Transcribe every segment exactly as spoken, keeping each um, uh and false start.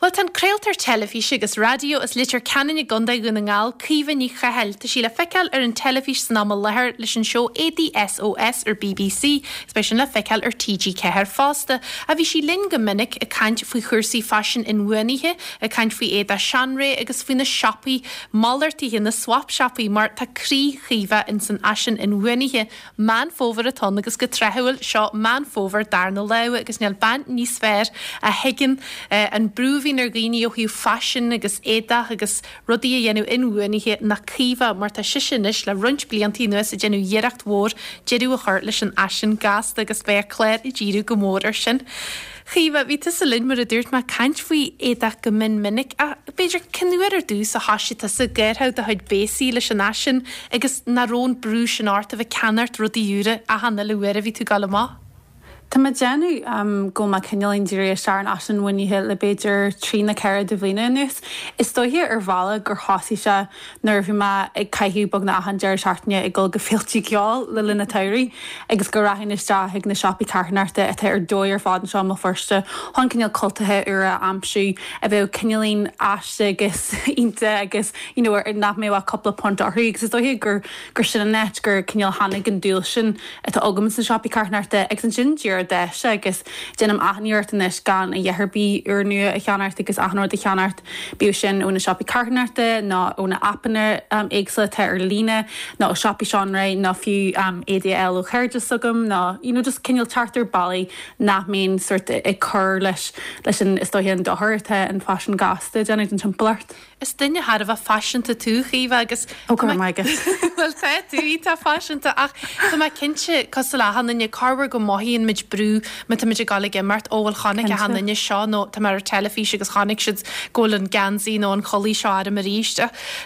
Well tá an craoltóir teilifíse agus raidió as Leitir Ceanainn i gContae Dhún na nGall Caoimhe Ní Chathail Tá sí le feiceáil ar an teilifís san am i láthair leis an seó Éadaí SOS ar BBC, is sin le feiceáil ar TG Ceathair fosta, a bhí sí linn go minic ag caint faoi chúrsaí faisin inbhuanaithe, ag caint faoi éadaí seanré agus faoi na siopaí malartaithe na swap siopaí mar tá croí Chaoimhe in san fhaisean inbhuanaithe Meán Fómhair atá ann agus go tráthúil seo Meán Fómhair darna lá agus níl bean níos fearr a thuigeann eh, an brú a bhíonn ar dhaoine ó thaobh faisin agus éadaí agus rudaí a dhéanamh inbhuanaithe ná Caoimhe mar tá sise anois le roinnt blianta anuas ag déanamh iarracht mhór deireadh a chur leis an fhaisean gasta agus beidh a clár ag díriú go mór ar sin. Chaoimhe bhí tusa linn mar a dúirt mé ag caint faoi éadaí go mion minic a b'fhéidir cén uair ar dtús a thosaigh tusa ag gearradh do chuid béasaí leis an fhaisean agus nach raibh an brú sin ort a bheith ag ceannacht rudaí úra achan uile uair a bhí tú ag dul amach. Tá mé ag déanamh um, go ma cineálín díriú isteach ar an fhaisean inbhuanaithe le b'fhéidir trí nó ceithre de bhliana anuas. Is dóiche ar bhealach gur thosaigh sé nuair bhí mé ag caitheamh beagnach achan deireadh seachtaine ag dul go féilte ceoil le linn an tsamhraidh agus go rachainn isteach ag na siopaí carthanachta atá ar dóigh ar fad anseo i mBéal Feirste chun cineál cultacha úra a aimsiú a bheadh cineálín aisteach agus iontach agus you know, nach mbeadh cúpla punt orthu agus is dóiche gur gur sin an áit gur cineál tháinig an dúil sin atá agam sna siopaí carthanachta agus ansin dúir deis agus déanaim achan iarracht anois gan a dhath ar bith úrnua a cheannacht agus achan rud a cheannacht bíodh sin ó na siopaí carthanachta nó ó na aipeanna um, éagsúla atá ar líne nó ó siopaí seanré nó fiú um, ADL ó chairde agam nó you know, just cineál teacht ar bhealaí nach mbíonn sort ag cur leis leis an is dóiche an dochar atá an faisean gasta ag déanamh don timpeallacht. Is duine thar a bheith faiseanta tú Chaoimhe agus Ó go maith. Well tá tú tá faiseanta ach Tá mé cinnte cosúil le achan duine corruair go mothaíonn muid brú má tá muid ag dul ag imeacht ó bhfuil chonaic achan duine seo nó tá mar ar teilifís agus chonaic siad go bhfuil an geansaí nó an chulaith seo orm arís.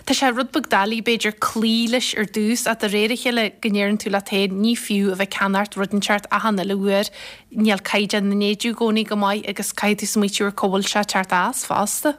Tá sé rud beag doiligh b'fhéidir cloí leis ar dtús ach de réir a chéile go ndeireann tú leat féin ní fiú a bheith ag ceannacht rud inteacht achan uile uair níl caighdeán na n-éadaí i gcónaí go maith agus caithfidh tú smaoitiú ar cá bhfuil sé ag teacht as fosta.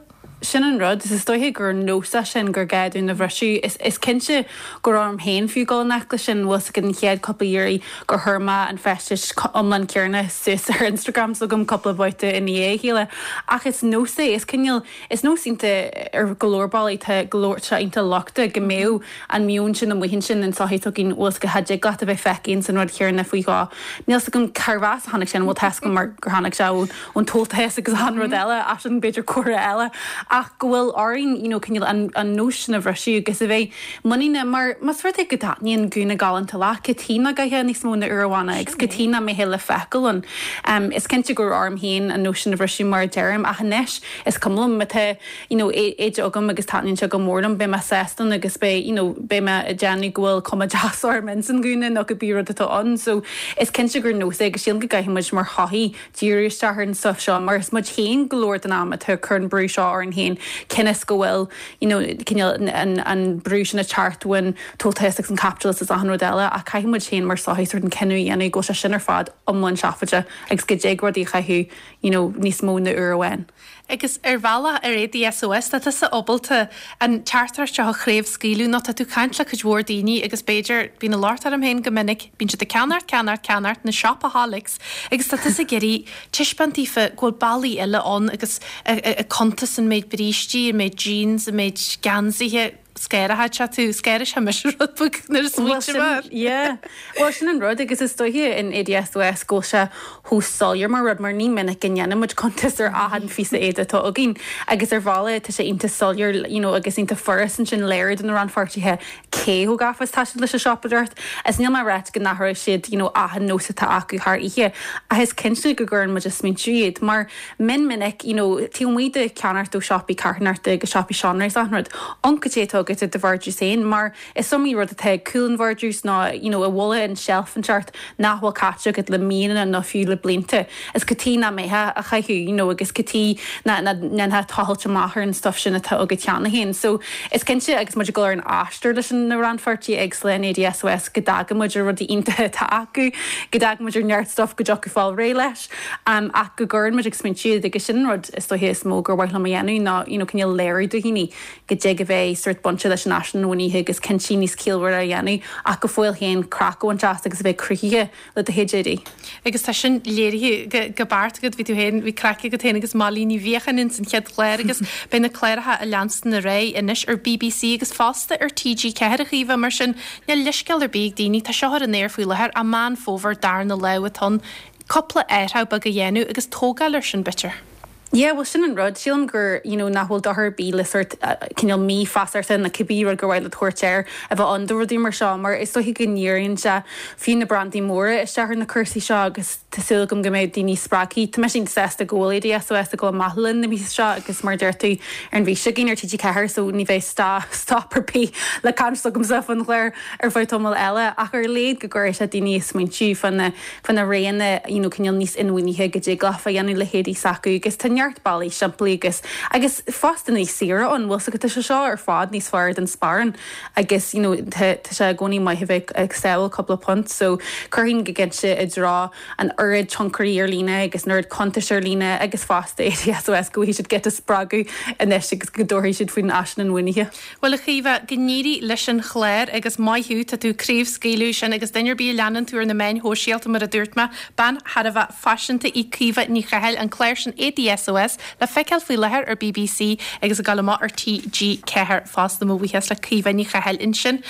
Sin an rud is dóiche gur nós é sin gur gá dúinn a bhriseadh is is cinnte go raibh orm féin fiú dul i ngleic leis sin bhfuil an chéad cúpla iarraidh gur chuir mé an feisteas iomlán céanna suas ar Instagram s'agam cúpla babhta i ndiaidh a chéile ach is nós é is cineál is nós iontach ar go leor bealaí tá go leor sé iontach lochtach go mbeadh an meon sin amuigh ansin an sochaí againn bhfuil go dtig leat a bheith feicthe san rud céanna faoi dhó. Níl a fhios agam cérbh as a tháinig sin bhfuil tá mar gur tháinig sé ón tomhaltas agus an rud eile as sin b'fhéidir cúrsa eile ach go bhfuil orainn you know, cineál an, an nós sin a bhriseadh agus a bheith muiníneach mar más rud é go dtaitníonn gúna galánta leat cad chuige nach gcaithfeá níos mó ná uair amháin agus cad chuige nach mbeadh le feiceáil ann. Um, is cinnte gur orm féin an nós sin a bhriseadh mar deirim ach anois is cuma liom má tá you know, éide agam agus taitníonn sé go mór liom beidh mé sásta agus beidh you know, beidh mé ag déanamh go bhfuil cuma deas orm in san gúna nó cibé rud atá ann, so is cinnte gur nós é agus sílim go gcaithfidh muid mar shochaí díriú isteach ar an stuff seo mar is muid féin go leor den am atá ag cur an brú seo orainn féin cionn go bhfuil you know, cineál an, an brú sin ag teacht ón tomhaltas agus an capitalist is achan rud eile ach caithfidh muid féin mar sochaí sort an cinneadh a dhéanamh go sé sin ar fad iomlán seafóideach agus go dtig rudaí a chaitheamh you know, níos mó ná uair amháin. Agus ar bhealach ar Éadaí SOS tá tusa ábalta an teachtaireacht seo a chraobhscaoileadh nó tá tú ag caint le cuid mhór daoine agus b'fhéidir bíonn locht orm féin go minic, bíonn siad ag ceannacht ceannacht ceannacht na shopaholics agus tá tusa ag iarraidh taispeáint daofa go bhfuil bealaí eile ann agus cuntas an méid brístí, an méid jeans, an méid geansaithe scéir se tú scéir se mis rud nuair smaointe Yeah. Well sin an rud agus is dóiche in Éadaí SOS go sé chomh soiléir mar rud mar ní minic go ndéanaimid cuntas ar achan phíosa éadaí atá againn agus ar bhealach tá sé iontach soiléir you know, agus iontach furast ansin léiriú do na rannpháirtithe cé chomh gafa is atá siad leis an siopadóireacht. Is níl mé ag rá go n-athróidh siad you know, achan nós atá acu thar oíche ach is cinnte go gcuireann muid ag smaointiú iad mar min minic you know, taobh amuigh de cheannacht ó siopaí carthanachta agus siopaí seanré rud an cad é atá agat i do vardrús féin mar is iomaí rud atá cúl an vardrús ná you know, i bhfolach an shelf an nach bhfuil caite agat le míonna nó fiú le blianta. Is cad chuige nach mbeifeá á chaitheamh you know, agus cad chuige nach ndéanfá tochailt amach ar an stuff sin atá agat cheana féin. So is cinnte agus muid ag dul ar an aistear leis na rannpháirtithe éagsúla in Éadaí SOS go dtagann muid ar rudaí iontacha atá acu, go dtagann muid ar neart stuff go dtiocfaí fáil réidh leis, um, ach go gcuireann muid ag smaointiú agus sin rud is dóiche is mó gur mhaith liom a dhéanamh ná you know, cineál léiriú do dhaoine go dtig a bheith sort bainte leis an fhaisean inbhuanaithe agus cinntí níos ciallmhaire a dhéanamh ach go fóill féin craic a bhaint as agus a bheith cruthaithe le do chuid éadaí. Agus tá sin léirithe go beart agat bhí tú féin bhí craic agat féin agus Molly Ní Bhiacháin ins an chéad chlár agus beidh na cláracha a leanstan ar aghaidh anois ar BBC agus fosta ar TG Ceathair a Chaoimhe mar sin níl leithscéal ar bith ag daoine tá seo ar an aer faoi láthair a Meán Fómhair darna lá atá cúpla athrú beag a dhéanamh agus tógáil ar sin b'fhéidir. Yeah, well sin an rud sílim gur you know, nach bhfuil dochar ar bith le sort uh, cineál mífheasachta na cibé rud gur mhaith le tabhairt air a bheith an do rudaí mar seo mar is dóiche go ndíríonn sé fiú na brandaí móra isteach ar na cúrsaí seo agus tá súil agam go mbeidh daoine spreagtha Tá mé sásta go bhfuil SOS ag dul amach linn na mí seo agus mar deir tú ar an bhí gin ar TG Ceathair so ní bheidh sta stop ar bith le caint agamsa faoin chlár ar feadh tamall eile ach ar léad go gcuirfidh sé daoine smaointiú fan fan na roghanna you know, cineál níos inbhuanaithe go dtig leofa dhéanamh le héadaí s'acu agus tá neart bealaí simplí agus agus fosta níos saoire an bhfuil go sé seo ar fad níos fearr den sparán agus you know, tá sé i gcónaí maith bheith ag sábháil cúpla punt so chuirfinn go cinnte i dtreo an oiread tionchairí ar líne agus an oiread cuntais ar líne agus fosta SOS go bhfuil siad get a spreagadh anois agus go dtabharfaidh siad faoin fhaisean inbhuanaithe. Well a Chaoimhe go n-éirí leis an chlár agus maith thú tá tú craobhscaoileadh sin agus duine ar bith a leanann tú ar na meáin shóisialta mar a dúirt mé bean thar a bheith faiseanta í Caoimhe Ní Chathail an clár sin ADSOS le feiceáil faoi láthair ar BBC agus ag dul amach ar TG Ceathair fosta mo bhuíochas le Caoimhe Ní Chathail ansin.